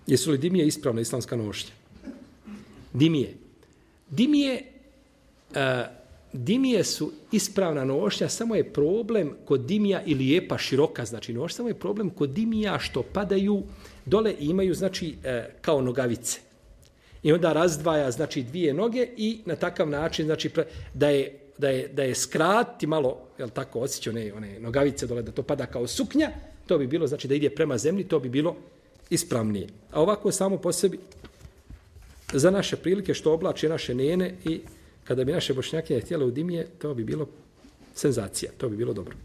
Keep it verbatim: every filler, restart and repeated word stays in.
Jesu li dimije ispravna islamska nošnja? Dimije. Dimije, uh, dimije su ispravna nošnja, samo je problem kod dimija i lijepa, široka, znači nošnja, samo je problem kod dimija što padaju dole i imaju, znači, uh, kao nogavice. I onda razdvaja, znači, dvije noge i na takav način, znači, da je, da je, da je skrati malo, jel tako, osjeća one, one nogavice dole, da to pada kao suknja, to bi bilo, znači, da ide prema zemlji, to bi bilo ispravnije. A ovako samo po sebi, za naše prilike što oblače naše nene i kada bi naše bošnjake htjele u dimije, to bi bilo senzacija, to bi bilo dobro.